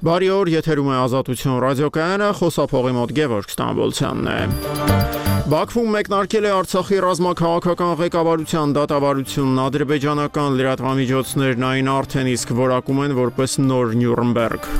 Բարի օր, եթերում է Ազատություն ռադիոկայանը, խոսափողի մոտ Գևորգ Ստամբոլցյանն է։ Բաքվում մեկնարկել է Արցախի ռազմաքաղաքական ղեկավարության դատավարությունն, ադրբեջանական լրատվամիջոցներն այն արդեն իսկ որակում են որպես նոր Նյուրնբերգ։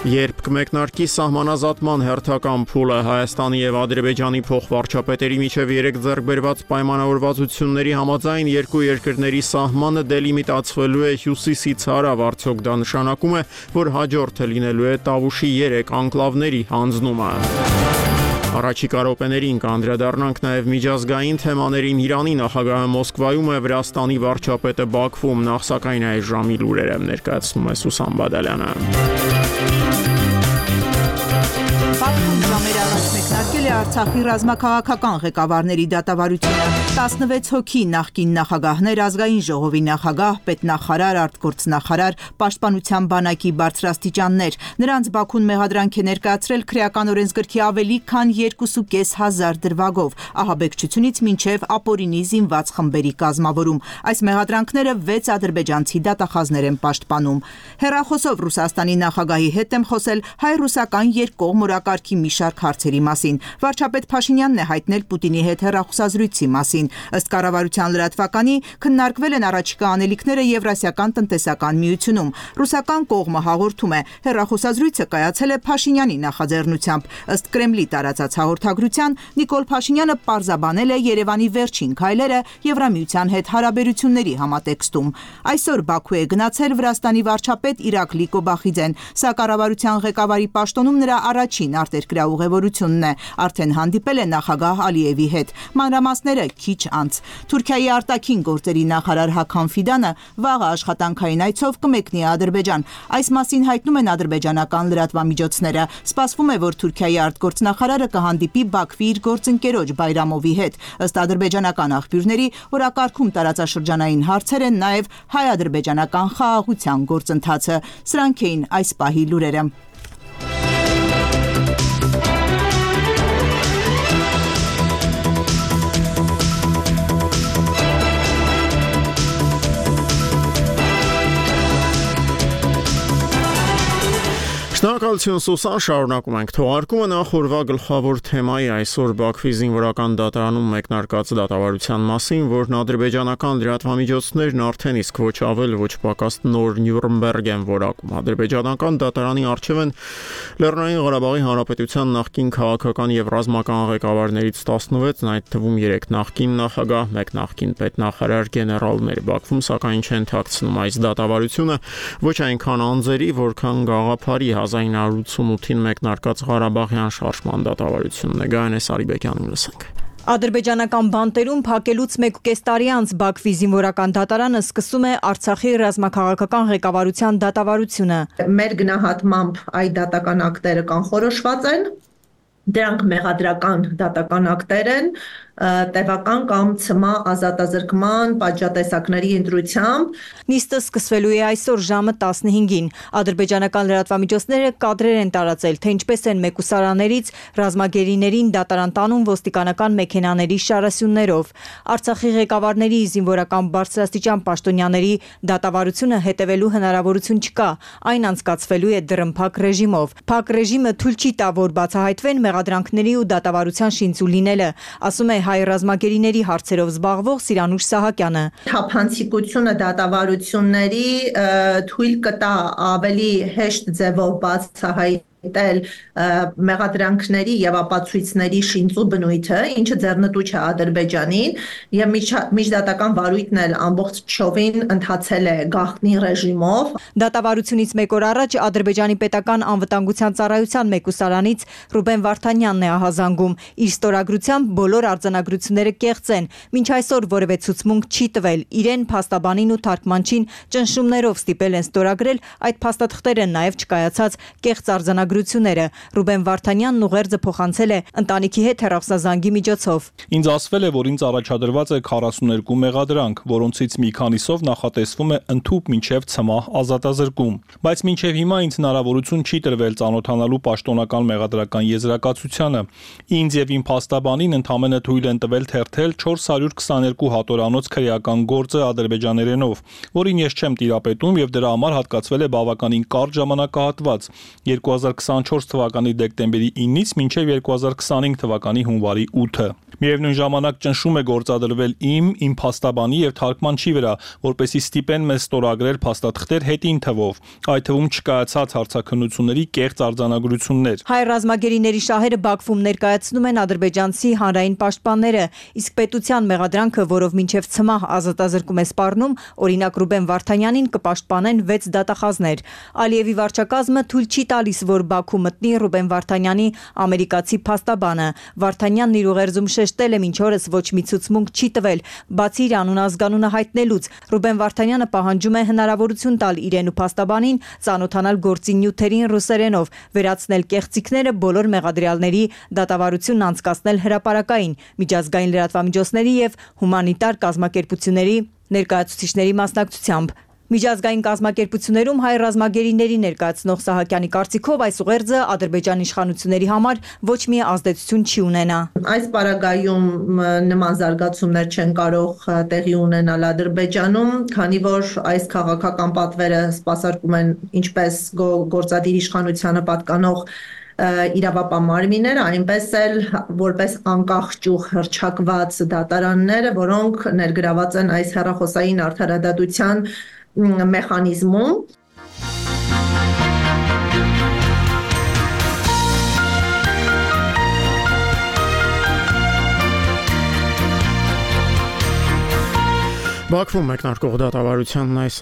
Երբ կմեկնարկի սահմանազատման հերթական փուլը, Հայաստանի եւ Ադրբեջանի փոխվարչապետերի միջև 3 ձեռքբերված պայմանավորվածությունների համաձայն երկու երկրների սահմանը դելիմիտացվելու է հյուսիսից հարավ, արդյոք դա նշանակում է, որ հաջորդը լինելու է Տավուշի 3 անկլավների հանձնումը։ Առաջիկա րոպեներին կանդրադառնանք նաև միջազգային թեմաներին։ Իրանի նախագահը Մոսկվայում է, Վրաստանի վարչապետը Բաքվում, նախ սակայն այս ժամի լուրերը ներկայացնում է Սուսան Բադալյանը։ Բաքվում ժամեր առաջ մեկնարկել է Արցախի ռազմաքաղաքական ղեկավարների դատավարությունը։ 16 հոգի նախկին նախագահներ, ազգային ժողովի նախագահ, պետնախարար, արտգործնախարար, պաշտպանության բանակի բարձրաստիճաններ։ Նրանց Բաքուն մեղադրանք է ներկայացրել քրեական օրենսգրքի ավելի քան 2,500 դրվագով, ահաբեկչությունից մինչև ապօրինի զինված խմբերի կազմավորում։ Այս մեղադրանքները 6 ադրբեջանցի դատախազներ են պաշտպանում։ Հեռախոսով Ռուսաստանի նախագահի հետ եմ խոսել հայ-ռուսական երկկողմ օրակարգի մի շարք հարցերի մասին։ Վարչապետ Փաշինյանն է հայտնել Պուտինի հետ հեռախոսազրույցի մասին։ Ըստ կառավարության լրատվականի, քննարկվել են առաջիկա անելիքները Եվրասիական տնտեսական միությունում։ Ռուսական կողմը հաղորդում է, հեռախոսազրույցը կայացել է Փաշինյանի նախաձեռնությամբ։ Ըստ Կրեմլի տարածած հաղորդագրության, Նիկոլ Փաշինյանը պարզաբանել է Երևանի վերջին քայլերը Եվրամիության հետ հարաբերությունների համատեքստում։ Այսօր Բաքու է գնացել Վրաստանի վարչապետ Իրակլի Կոբախիձեն։ Սա կառավարության ղեկավարի պաշտոնում նրա առաջին արտերկրյա ուղևորությունն է։ Արդեն հանդիպել է նախագահ Ալիևի հետ։ Մանրամասները քիչ անց։ Թուրքիայի արտաքին գործերի նախարար Հական Ֆիդանը վաղը աշխատանքային այցով կմեկնի Ադրբեջան։ Այս մասին հայտնում են ադրբեջանական լրատվամիջոցները։ Սպասվում է, որ Թուրքիայի արտգործնախարարը կհանդիպի Բաքվի իր գործընկերոջ Բայրամովի հետ։ Ըստ ադրբեջանական աղբյուրների, օրակարգում տարածաշրջանային հարցեր են նաև հայ-ադրբեջանական խաղաղության գործընթացը։ Սրանք էին այս պահի լուրերը։ Շնորհակալություն Սուսան, շարունակում ենք թողարկումը։ Նախ օրվա գլխավոր թեմայի այսօր Բաքվի զինվորական դատարանում մեկնարկած դատավարության մասին, որն ադրբեջանական լրատվամիջոցներն արդեն իսկ ոչ ավել ոչ պակաս նոր Նյուրնբերգ են որակում։ Ադրբեջանական դատարանի առջև են Լեռնային Ղարաբաղի Հանրապետության նախկին քաղաքական եւ ռազմական ղեկավարներից 16-ն, այդ թվում 3 նախկին նախագահ, 1 նախկին պետնախարար, գեներալներ։ Բաքվում սակայն չեն թաքցնում այս դատավարությունը ոչ այնքան անձերի, որքան գաղափարի 1988-ին մեկնարկած Ղարաբաղյան շարժման դատավարությունն է։ Գայանե Սարիբեկյանին լսենք։ Ադրբեջանական բանտերում փակելուց 1.5 տարի անց Բաքվի զինվորական դատարանը սկսում է Արցախի ռազմաքաղաքական ղեկավարության դատավարությունը։ Մեր գնահատմամբ այդ դատական ակտերը կանխորոշված են, դրանք մեղադրական դատական ակտեր են, տևական կամ ցմահ ազատազրկման պատժատեսակների ընտրությամբ։ Նիստը սկսվելու է այսօր ժամը 15-ին։ Ադրբեջանական լրատվամիջոցները կադրեր են տարածել, թե ինչպես են մեկուսարաններից ռազմագերիներին դատարան տանում ոստիկանական մեքենաների շարասյուններով։ Արցախի ղեկավարների զինվորական բարձրաստիճան պաշտոնյաների դատավարությունը հետևելու հնարավորություն չկա։ Այն անցկացվելու է դռնփակ ռեժիմով։ Փակ ռեժիմը թույլ չի տա, որ բացահայտվեն մեղադրանքների ու դատավարության շինծու լինելը, ասում է հայ ռազմագերիների հարցերով զբաղվող Սիրանուշ Սահակյանը։ Թափանցիկությունը դատավարությունների թույլ կտա ավելի հեշտ ձևով բացահայտել մեղադրանքների եւ ապացույցների շինծու բնույթը, ինչը ձեռնտու չէ Ադրբեջանին, եւ միջդատական վարույթն էլ ամբողջովին ընթացել է գաղտնի ռեժիմով։ Դատավարությունից մեկ օր առաջ Ադրբեջանի պետական անվտանգության ծառայության մեկուսարանից Ռուբեն Վարդանյանն է ահազանգում։ Իր ստորագրությամբ բոլոր արձանագրությունները կեղծ են, մինչ այսօր որևէ ցուցմունք չի տվել։ Իրեն փաստաբանին ու թարգմանչին ճնշումներով ստիպել են ստորագրել այդ փաստաթղթերը, նաեւ չկայացած կեղծ արձանագրությունները արձանագրությունները։ Ռուբեն Վարդանյանն ուղերձը փոխանցել է ընտանիքի հետ հեռախոսազանգի միջոցով։ Ինձ ասվել է, որ ինձ առաջադրված է 42 մեղադրանք, որոնցից մի քանիսով նախատեսվում է ընդհուպ մինչև ցմահ ազատազրկում, բայց մինչև հիմա ինձ հնարավորություն չի տրվել ծանոթանալու պաշտոնական մեղադրական եզրակացությանը։ Ինձ եւ իմ փաստաբանին ընդամենը թույլ են տվել թերթել 422 հատորանոց քրեական գործը ադրբեջաներենով, որին ես չեմ տիրապետում եւ դրա համար հատկացվել է բավականին կարճ ժամանակահատված 2024 թվականի դեկտեմբերի 9-ից մինչև 2025 թվականի հունվարի 8-ը։ Միևնույն ժամանակ ճնշում է գործադրվել իմ փաստաբանի եւ թարգմանչի վրա, որպեսզի ստիպեն մեզ ստորագրել փաստաթղթեր հետին թվով, այդ թվում չկայացած հարցաքննությունների կեղծ արձանագրություններ։ Հայ ռազմագերիների շահերը Բաքվում ներկայացնում են ադրբեջանցի հանրային պաշտպանները, իսկ պետության մեղադրանքը, որով մինչև ցմահ ազատազրկում է սպառնում, օրինակ Ռուբեն Վարդանյանին կպաշտպանեն 6 դատախազներ։ Ալիևի վարչակազմը թույլ չի տալիս, որ Բաքու մտնի Ռուբեն Վարդանյանի ամերիկացի փաստաբանը։ Վարդանյանն իր ուղերձում շեշտել է մինչ օրս ոչ մի ցուցմունք չի տվել, բացի իր անուն-ազգանունը հայտնելուց։ Ռուբեն Վարդանյանը պահանջում է հնարավորություն տալ իրեն ու փաստաբանին ծանոթանալ գործի նյութերին ռուսերենով, վերացնել կեղծիքները, բոլոր մեղադրյալների դատավարությունն անցկացնել հրապարակային, միջազգային լրատվամիջոցների եւ հումանիտար կազմակերպությունների ներկայացուցիչների մասնակցությամբ։ Միջազգային կազմակերպություններում հայ ռազմագերիների ներկայացնող Սահակյանի կարծիքով այս ուղերձը Ադրբեջանի իշխանությունների համար ոչ մի ազդեցություն չի ունենա։ Այս պարագայում նման զարգացումներ չեն կարող տեղի ունենալ Ադրբեջանում, քանի որ այս քաղաքական պատվերը սպասարկում են ինչպես գործադիր իշխանությանը պատկանող իրավապահ մարմինները, այնպես էլ որպես անկախ ճյուղ հռչակված դատարանները, որոնք ներգրաված են այս հեռախոսային արդարադատության մեխանիզմում։ Բաքվում մեկնարկող դատավարությանն այս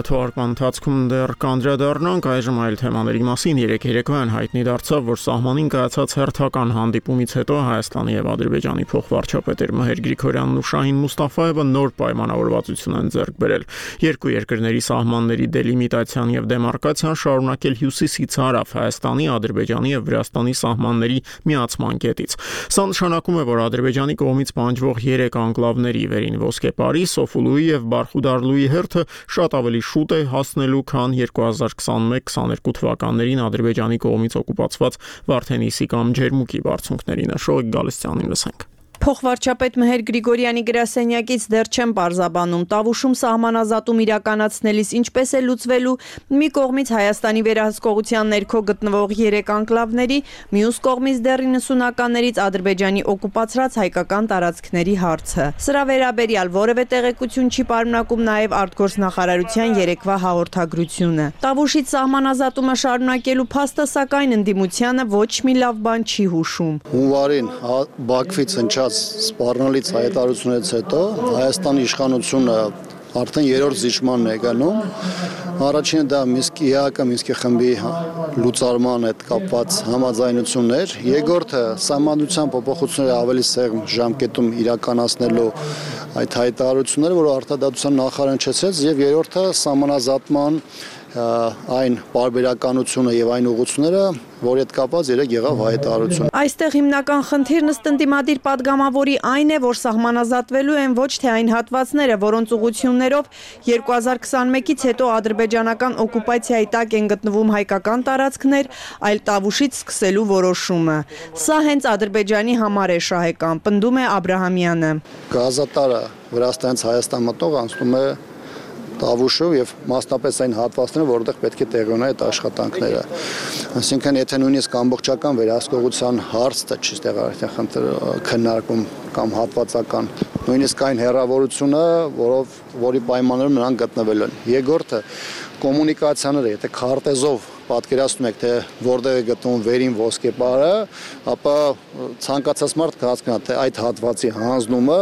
թվարկման ընթացքում դեռ կանդրադառնանք, այժմ այլ թեմաների մասին։ Երեկոյան հայտնի դարձավ, որ սահմանին կայացած հերթական հանդիպումից հետո Հայաստանի եւ Ադրբեջանի փոխվարչապետեր Մհեր Գրիգորյանն ու Շահին Մուստաֆաևը նոր պայմանավորվածություն են ձեռք բերել։ Երկու երկրների սահմանների դելիմիտացիան եւ դեմարկացիան շարունակել հյուսիսից հարավ Հայաստանի, Ադրբեջանի եւ Վրաստանի սահմանների միացման կետից։ Սա նշանակում է, որ Ադրբեջանի կողմից պահանջվող 3 անկլավների վերին Ոսկեպարի, Սոֆուլուի եւ Բարխուդարլուի հերթը շատ ավելի շուտ է հասնելու, քան 2021-22 թվականներին Ադրբեջանի կողմից օկուպացված Վարդենիսի կամ Ջերմուկի բարձունքներին։ Շոյիկ Գալստյանին լսենք։ Փոխվարչապետ Մհեր Գրիգորյանի գրասենյակից դեռ չեն պարզաբանում Տավուշում սահմանազատում իրականացնելիս ինչպես է լուծվելու մի կողմից Հայաստանի վերահսկողության ներքո գտնվող 3 անկլավների, մյուս կողմից դեռ 90-ականներից Ադրբեջանի օկուպացրած հայկական տարածքների հարցը։ Սրա վերաբերյալ որևէ տեղեկություն չի պարունակում նաև արտգործնախարարության երեկվա հաղորդագրությունը։ Տավուշից սահմանազատումը շարունակելու փաստը սակայն ընդդիմությանը ոչ մի լավ բան չի հուշում։ Հունվարին Բաքվից հնչած սպառնալից հայտարարությունից հետո Հայաստանի իշխանությունը արդեն 3-րդ զիջմանն է գնում։ Առաջինը դա Մինսկի խմբի լուծարման հետ կապված համաձայնություններ, երկրորդը սահմանադրության փոփոխությունները ավելի սեղմ ժամկետում իրականացնելու այդ հայտարարությունները, որը արտադատության նախարարն չեցրեց, եւ երրորդը սահմանազատման այն պարբերականությունը եւ այն ուղղությունները, որի հետ կապված երեք եղավ հայտարարություն։ Այստեղ հիմնական խնդիրն ըստ ընդդիմադիր падգամավորի այն է, որ սահմանազատվելու են ոչ թե այն հատվածները, որոնց ուղղություններով 2021-ից հետո ադրբեջանական օկուպացիայի տակ են գտնվում հայկական տարածքներ, այլ Տավուշից սկսելու որոշումը։ Սա հենց Ադրբեջանի համար է շահեկան, պնդում է Աբրահամյանը։ Գազատարը Վրաստանից Հայաստան մտող անցնում է Տավուշով եւ մասնապես այն հատվածները, որտեղ պետք է տեղի ունենա այդ աշխատանքները։ Այսինքն, եթե նույնիսկ ամբողջական վերահսկողության հարցը չի ստեղծել քննարկում կամ հատվածական, նույնիսկ այն հեռավորությունը, որի պայմաններում նրանք գտնվել են։ Երկրորդը կոմունիկացիաները, եթե քարտեզով պատկերացնում եք, թե որտեղ է գտնվում վերին Ոսկեպարը, ապա ցանկացած մարդ կհասկանա, թե այդ հատվածի հանձնումը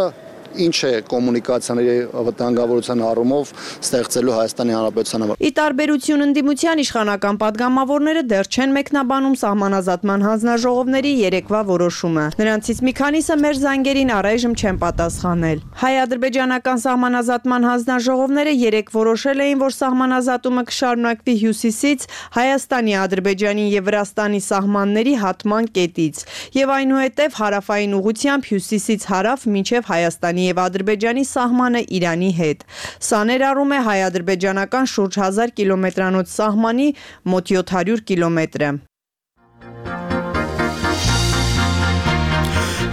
ինչ է կոմունիկացիաների վտանգավորության առումով ստեղծելու Հայաստանի Հանրապետության համար։ Ի տարբերություն ընդդիմության իշխանական падգամավորները դեռ չեն մեկնաբանում սահմանազատման հանձնաժողովների երեկվա որոշումը։ Նրանցից մի քանիսը մեր զանգերին առայժմ չեն պատասխանել։ Հայ-ադրբեջանական սահմանազատման հանձնաժողովները երեկ որոշել էին, որ սահմանազատումը կշարունակվի հյուսիսից Հայաստանի, Ադրբեջանի եւ Վրաստանի սահմանների հատման կետից եւ այնուհետեւ հարավային ուղությամբ հյուսիսից հարավ մինչեւ Հայաստանի եւ Ադրբեջանի սահմանը Իրանի հետ։ Սա ներառում է հայ-ադրբեջանական շուրջ 1000 կիլոմետրանոց սահմանի մոտ 700 կիլոմետրը։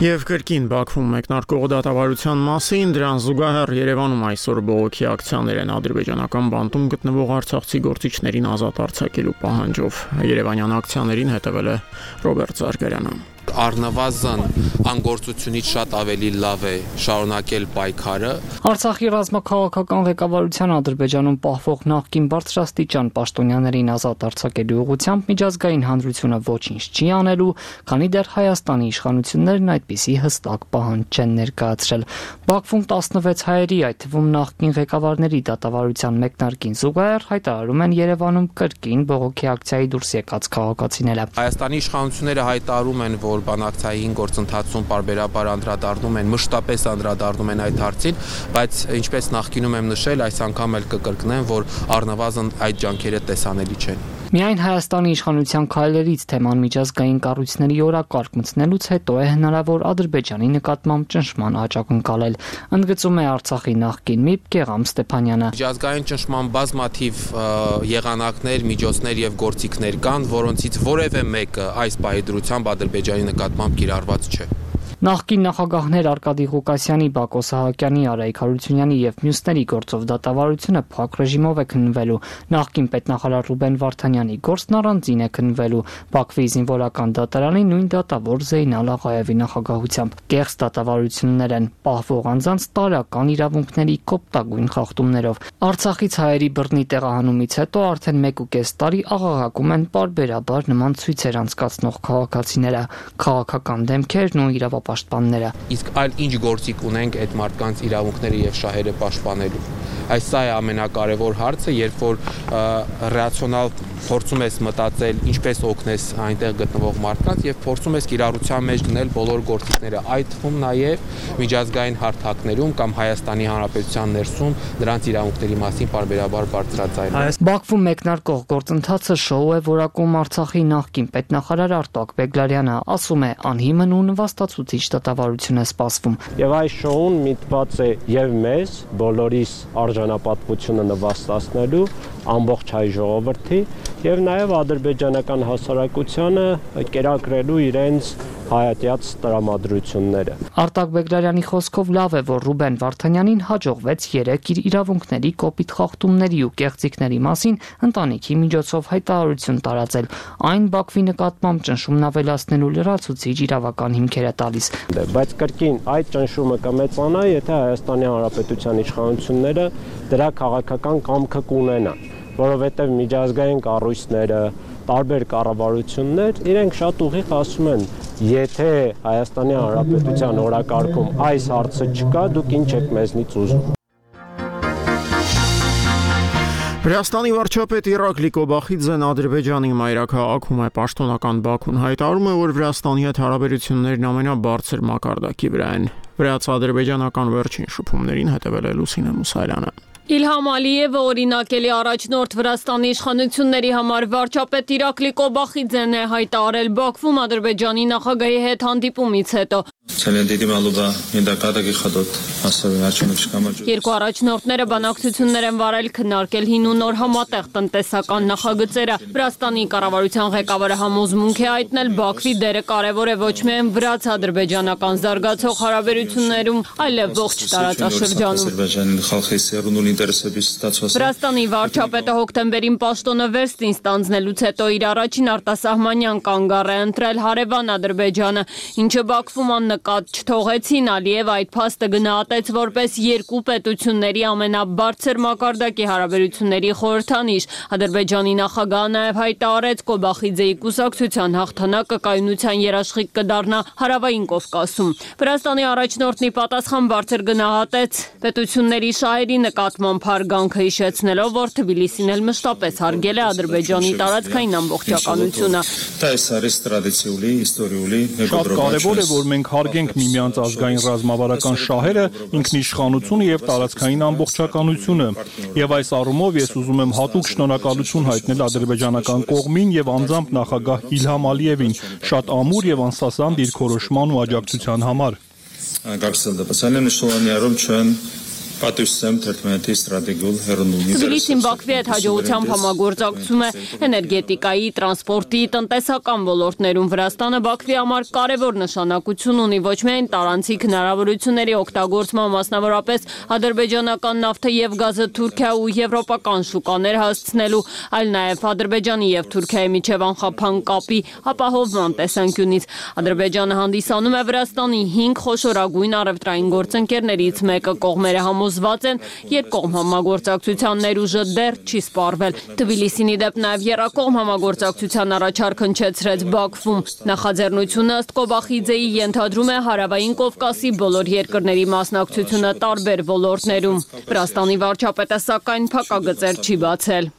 Եվ կրկին Բաքվում մեկնարկող դատավարության մասին դրան զուգահեռ Երևանում այսօր բողոքի ակցիաներ են ադրբեջանական բանտում գտնվող արցախցի գործիչներին ազատ արձակելու պահանջով։ Երևանյան ակցիաներին հետևել է Ռոբերտ Զարգարյանը։ Առնվազն անգործությունից շատ ավելի լավ է շարունակել պայքարը։ Արցախի ռազմաքաղաքական ղեկավարության Ադրբեջանում պահվող նախկին բարձրաստիճան պաշտոնյաներին ազատ արձակելու ուղղությամբ միջազգային հանրությունը ոչինչ չի անելու, քանի դեռ Հայաստանի իշխանություններն այդպիսի հստակ պահանջ չեն ներկայացրել։ Բաքվում 16 հայերի, այդ թվում նախկին ղեկավարների դատավարության մեկնարկին զուգահեռ հայտարարում են Երևանում կրկին բողոքի ակցիայի դուրս եկած քաղաքացիները։ Հայաստանի իշխանությունները հայտարարում են, որ բանակցային գործընթացում պարբերաբար անդրադառնում են, մշտապես անդրադառնում են այդ հարցին, բայց ինչպես նախկինում եմ նշել, այս անգամ էլ կկրկնեմ, որ առնվազն այդ ջանքերը տեսանելի չեն։ Միայն Հայաստանի իշխանության քայլերից թեման միջազգային կառույցների օրակարգ մտցնելուց հետո է հնարավոր Ադրբեջանի նկատմամբ ճնշման աճ ակնկալել, ընդգծում է Արցախի նախկին ՄԻՊ Գեգամ Ստեփանյանը։ Միջազգային ճնշման բազմաթիվ եղանակներ, միջոցներ եւ գործիքներ կան, որոնցից որևէ մեկը այս պահի դրությամբ Ադրբեջանի նկատմամբ կիրառված չէ։ Նախկին նախագահներ Արկադի Ղուկասյանի, Բակո Սահակյանի, Արայիկ Հարությունյանի եւ մյուսների գործով դատավարությունը փակ ռեժիմով է քննվելու։ Նախկին պետնախարար Ռուբեն Վարդանյանի գործն առանձին է քննվելու։ Բաքվի զինվորական դատարանի նույն դատավոր Զեյնալ Աղաևի նախագահությամբ։ Կեղծ դատավարություններ են, պահվող անձանց տարական իրավունքների կոպտագույն խախտումներով։ Արցախից հայերի բռնի տեղահանումից հետո արդեն 1.5 տարի աղաղակում են պարբերաբար նման ցույցեր անցկացնող քաղաքացիները, քաղաքական դեմքերն ու իրավապաշտպանները։ Իսկ այլ ինչ գործիք ունենք այդ մարդկանց իրավունքները եւ շահերը պաշտպանելու։ Այս սա է ամենակարևոր հարցը, երբ որ ռացիոնալ փորձում ես մտածել ինչպես օգնես այնտեղ գտնվող մարդկանց եւ փորձում ես կիրառության մեջ դնել բոլոր գործիքները, այդ թվում նաեւ միջազգային հարթակներում կամ Հայաստանի Հանրապետության ներսում դրանց իրավունքների մասին պարբերաբար բարձրաձայնել։ Բաքվում մեկնարկող գործընթացը շոու է որակում Արցախի նախկին պետնախարար Արտակ Բեգլարյանը, ասում է անհիմն ու նվաստացուցիչ դատավարություն է սպասվում։ Եվ այս շոուն միտված է եւ մեզ բոլորիս արժանապատվությունը նվաստացնելու ամբողջ հայ ժողովրդի եւ նաեւ ադրբեջանական հասարակությանը կերակրելու իրենց հայատյաց տրամադրությունները։ Արտակ Բեգլարյանի խոսքով լավ է, որ Ռուբեն Վարդանյանին հաջողվեց 3 իր իրավունքների կոպիտ խախտումների ու կեղծիքների մասին ընտանիքի միջոցով հայտարարություն տարածել։ Այն Բաքվի նկատմամբ ճնշումն ավելացնելու լրացուցիչ իրավական հիմքեր է տալիս։ Բայց կրկին այդ ճնշումը կմեծանա, եթե Հայաստանի Հանրապետության իշխանությունները դրա քաղաքական կամքը կունենան, որովհետև միջազգային կառույցները, տարբեր կառավարություններ իրենք շատ ուղիղ ասում են, եթե Հայաստանի Հանրապետության օրակարգում այս հարցը չկա, դուք ինչ եք մեզնից ուզում։ Վրաստանի վարչապետ Իրակլի Կոբախիձեն Ադրբեջանի մայրաքաղաքում է պաշտոնական Բաքուն հայտարարում է, որ Վրաստանի հետ հարաբերություններն ամենաբարձր մակարդակի վրա են։ Վրաց-ադրբեջանական վերջին շփումներին հետևել է Լուսինե Մուսայելյանը։ Իլհամ Ալիևը օրինակելի առաջնորդ Վրաստանի իշխանությունների համար վարչապետ Իրակլի Կոբախիձեն է հայտարարել Բաքվում Ադրբեջանի նախագահի հետ հանդիպումից հետո։ Երկու առաջնորդները բանակցություններ են վարել քննարկել հին ու նոր համատեղ տնտեսական նախագծերը։ Վրաստանի կառավարության ղեկավարը համոզմունք է հայտնել Բաքվի դերը կարևոր է ոչ միայն վրաց-ադրբեջանական զարգացող հարաբերություններում, այլև ողջ տարածաշրջանում։ Վրաստանի վարչապետը հոկտեմբերին պաշտոնը վերստին ստանձնելուց հետո իր առաջին արտասահմանյան կանգառ է ընտրել հարևան Ադրբեջանը, ինչը Բաքվում աննկատ չթողեցին, Ալիև այդ փաստը գնահատեց որպես երկու պետությունների ամենաբարձր մակարդակի հարաբերությունների խորհրդանիշ։ Ադրբեջանի նախագահը նաև հայտարարեց Կոբախիձեի կուսակցության հաղթանակը կայունության երաշխիք կդառնա հարավային Կովկասում։ Վրաստանի առաջնորդն ի պատասխան բարձր գնահատեց պետությունների շահերի նկատմամբ հարգանքը, հիշեցնելով, որ Թբիլիսին էլ մշտապես հարգել է Ադրբեջանի տարածքային ամբողջականությունը։ Շատ կարևոր է, որ մենք հարգենք միմյանց ազգային ռազմավարական շահերը, ինքնիշխանությունը եւ տարածքային ամբողջականությունը։ Եվ այս առումով ես ուզում եմ հատուկ շնորհակալություն հայտնել ադրբեջանական կողմին եւ անձամբ նախագահ Իլհամ Ալիևին շատ ամուր եւ անսասան դիրքորոշման ու աջակցության համար։ Թբիլիսին Բաքվի հետ հաջողությամբ համագործակցում է էներգետիկայի, տրանսպորտի, տնտեսական ոլորտներում։ Վրաստանը Բաքվի համար կարևոր նշանակություն ունի ոչ միայն տարանցիկ հնարավորությունների օգտագործման, մասնավորապես ադրբեջանական նավթը եւ գազը Թուրքիա ու եվրոպական շուկաներ հասցնելու, այլ նաեւ Ադրբեջանի եւ Թուրքիայի միջև անխափան կապի ապահովման տեսանկյունից։ Ադրբեջանը հանդիսանում է Վրաստանի 5 խոշորագույն առևտրային գործընկերներից մեկը, կողմերը զված են երկկողմ համագործակցության ներուժը դեռ չի սպառվել։ Թբիլիսին ի դեպ նաև եռակողմ համագործակցության առաջարկ հնչեցրեց Բաքվում։ Նախաձեռնությունը ըստ Կոբախիձեի ենթադրում է հարավային Կովկասի բոլոր երկրների մասնակցությունը տարբեր ոլորտներում։ Վրաստանի վարչապետը սակայն փակագծեր չի բացել։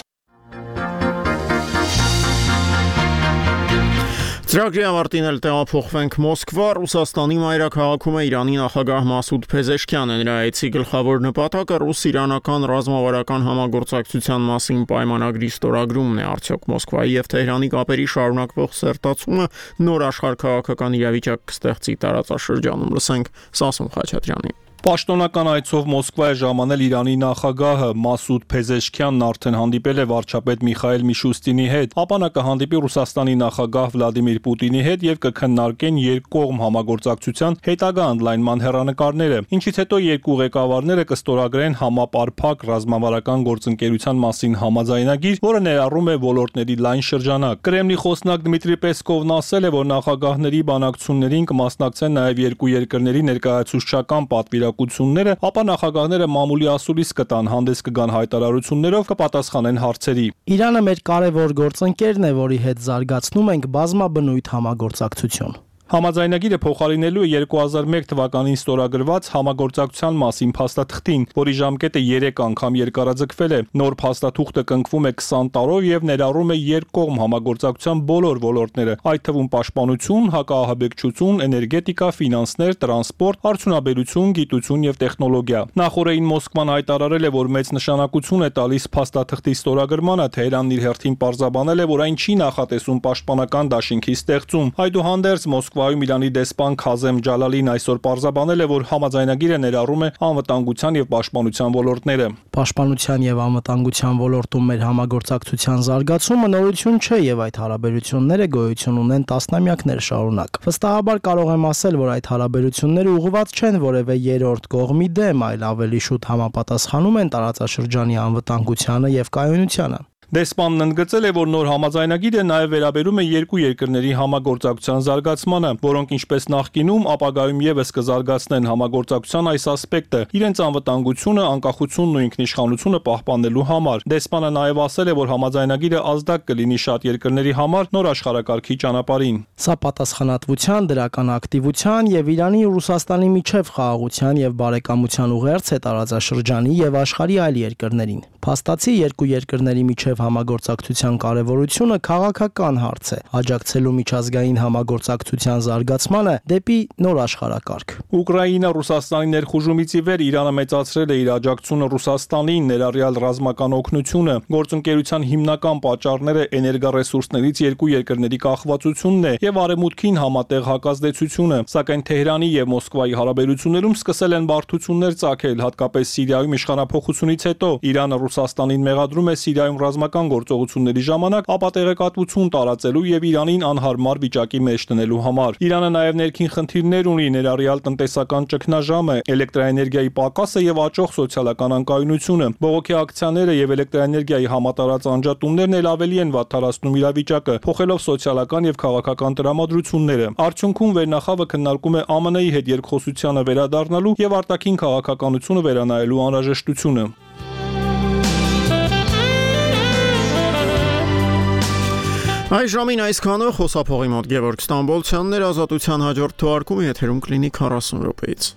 Ծրագրի ավարտին էլ տեղափոխվենք Մոսկվա, Ռուսաստանի մայրաքաղաքում է Իրանի նախագահ Մասուդ Փեզեշքյանը։ Նրա այցի գլխավոր նպատակը ռուս-իրանական ռազմավարական համագործակցության մասին պայմանագրի ստորագրումն է։ Արդյոք Մոսկվայի եւ Թեհրանի կապերի շարունակվող սերտացումը նոր աշխարհաքաղաքական իրավիճակ կստեղծի տարածաշրջանում։ Լսենք Սասուն Խաչատրյանի։ Պաշտոնական այցով Մոսկվա է ժամանել Իրանի նախագահը Մասուդ Փեզեշքյանն արդեն հանդիպել է վարչապետ Միխայել Միշուստինի հետ, ապա նա կհանդիպի Ռուսաստանի նախագահ Վլադիմիր Պուտինի հետ եւ կքննարկեն երկկողմ համագործակցության հետագա ընդլայնման հեռանկարները, ինչից հետո երկու ղեկավարները կստորագրեն համապարփակ ռազմավարական գործընկերության մասին համաձայնագիր, որը ներառում է ոլորտների լայն շրջանակ։ Կրեմլի խոսնակ Դմիտրի Պեսկովն ասել է, որ նախագահների բանակցություններին կմասնակցեն նաեւ երկու երկրների ներկայացուցչական պատվիրակությունները, ապա նախագահները մամուլի ասուլիս կտան, հանդես կգան հայտարարություններով, կպատասխանեն հարցերի։ Իրանը մեր կարևոր գործընկերն է, որի հետ զարգացնում ենք բազմաբնույթ համագործակցություն։ Համաձայնագիրը փոխարինելու է 2001 թվականին ստորագրված համագործակցության մասին փաստաթղթին, որի ժամկետը 3 անգամ երկարաձգվել է։ Նոր փաստաթուղթը կնքվում է 20 տարով եւ ներառում է երկկողմ համագործակցության բոլոր ոլորտները, այդ թվում պաշտպանություն, հակաահաբեկչություն, էներգետիկա, ֆինանսներ, տրանսպորտ, արդյունաբերություն, գիտություն եւ տեխնոլոգիա։ Նախորդին Մոսկվան հայտարարել է, որ մեծ նշանակություն է տալիս փաստաթղթի ստորագրմանը, Թեհրանն իր հերթին պարզաբանել է, որ այն չի նախատեսում պաշտպանական դաշինքի ստեղծում։ Այդուհանդերձ Մոսկվայում Իրանի դեսպան Քազեմ Ջալալին այսօր պարզաբանել է, որ համաձայնագիրը ներառում է անվտանգության եւ պաշտպանության ոլորտները։ Պաշտպանության եւ անվտանգության ոլորտում մեր համագործակցության զարգացումը նորություն չէ եւ այդ հարաբերությունները գոյություն ունեն տասնամյակներ շարունակ։ Վստահաբար կարող եմ ասել, որ այդ հարաբերությունները ուղղված չեն որևէ երրորդ կողմի դեմ, այլ ավելի շուտ համապատասխանում են տարածաշրջանի անվտանգությանը եւ կայունությանը։ Դեսպանն ընդգծել է, որ նոր համաձայնագիրը նաև վերաբերում է երկու երկրների համագործակցության զարգացմանը, որոնք ինչպես նախկինում, ապագայում եւս կզարգացնեն համագործակցության այս ասպեկտը, իրենց անվտանգությունը, անկախությունն ու ինքնիշխանությունը պահպանելու համար։ Դեսպանը նաև ասել է, որ համաձայնագիրը ազդակ կլինի շատ երկրների համար նոր աշխարհակարգի ճանապարհին։ Սա պատասխանատվության, դրական ակտիվության եւ Իրանի ու Ռուսաստանի միջև խաղաղության եւ բարեկամության ուղերձ է տարածաշրջանի եւ աշխարհի այլ երկրներին։ Փաստացի երկու երկրների միջև համագործակցության կարևորությունը քաղաքական հարց է, աջակցելու միջազգային համագործակցության զարգացմանը դեպի նոր աշխարհակարգ։ Ուկրաինա-Ռուսաստանի ներխուժումից ի վեր Իրանը մեծացրել է իր աջակցությունը Ռուսաստանին, ներառյալ ռազմական օգնությունը։ Գործընկերության հիմնական պատճառները էներգառեսուրսներից երկու երկրների կախվածությունն է եւ արևմուտքին համատեղ հակազդեցությունը, սակայն Թեհրանի եւ Մոսկվայի հարաբերություններում սկսել են բարդություններ ծագել, հատկապես Սիրիայում իշխանափոխությունից հետո։ Իրանը Ռուսաստանին մեղադրում է Սիրիայում ռազմական տնտեսական գործողությունների ժամանակ ապատեղեկատվություն տարածելու եւ Իրանին անհարմար վիճակի մեջ տնելու համար։ Իրանը նաեւ ներքին խնդիրներ ունի, ներառյալ տնտեսական ճգնաժամը, էլեկտրաէներգիայի պակասը եւ աճող սոցիալական անկայունությունը։ Բողոքի ակցիաները եւ էլեկտրաէներգիայի համատարած անջատումներն էլ ավելի են վատթարացնում իրավիճակը, փոխելով սոցիալական եւ քաղաքական տրամադրությունները։ Արդյունքում վերնախավը քննարկում է ԱՄՆ-ի հետ երկխոսությանը վերադառնալու եւ արտաքին քաղաքականությունը վերանայելու անհրաժեշտությունը։ Այս ժամին այսքանը խոսափողի մոտ Գևորգ Ստամբոլցյանն էր, Ազատության հաջորդ թողարկումը եթերում կլինի 40 րոպեից։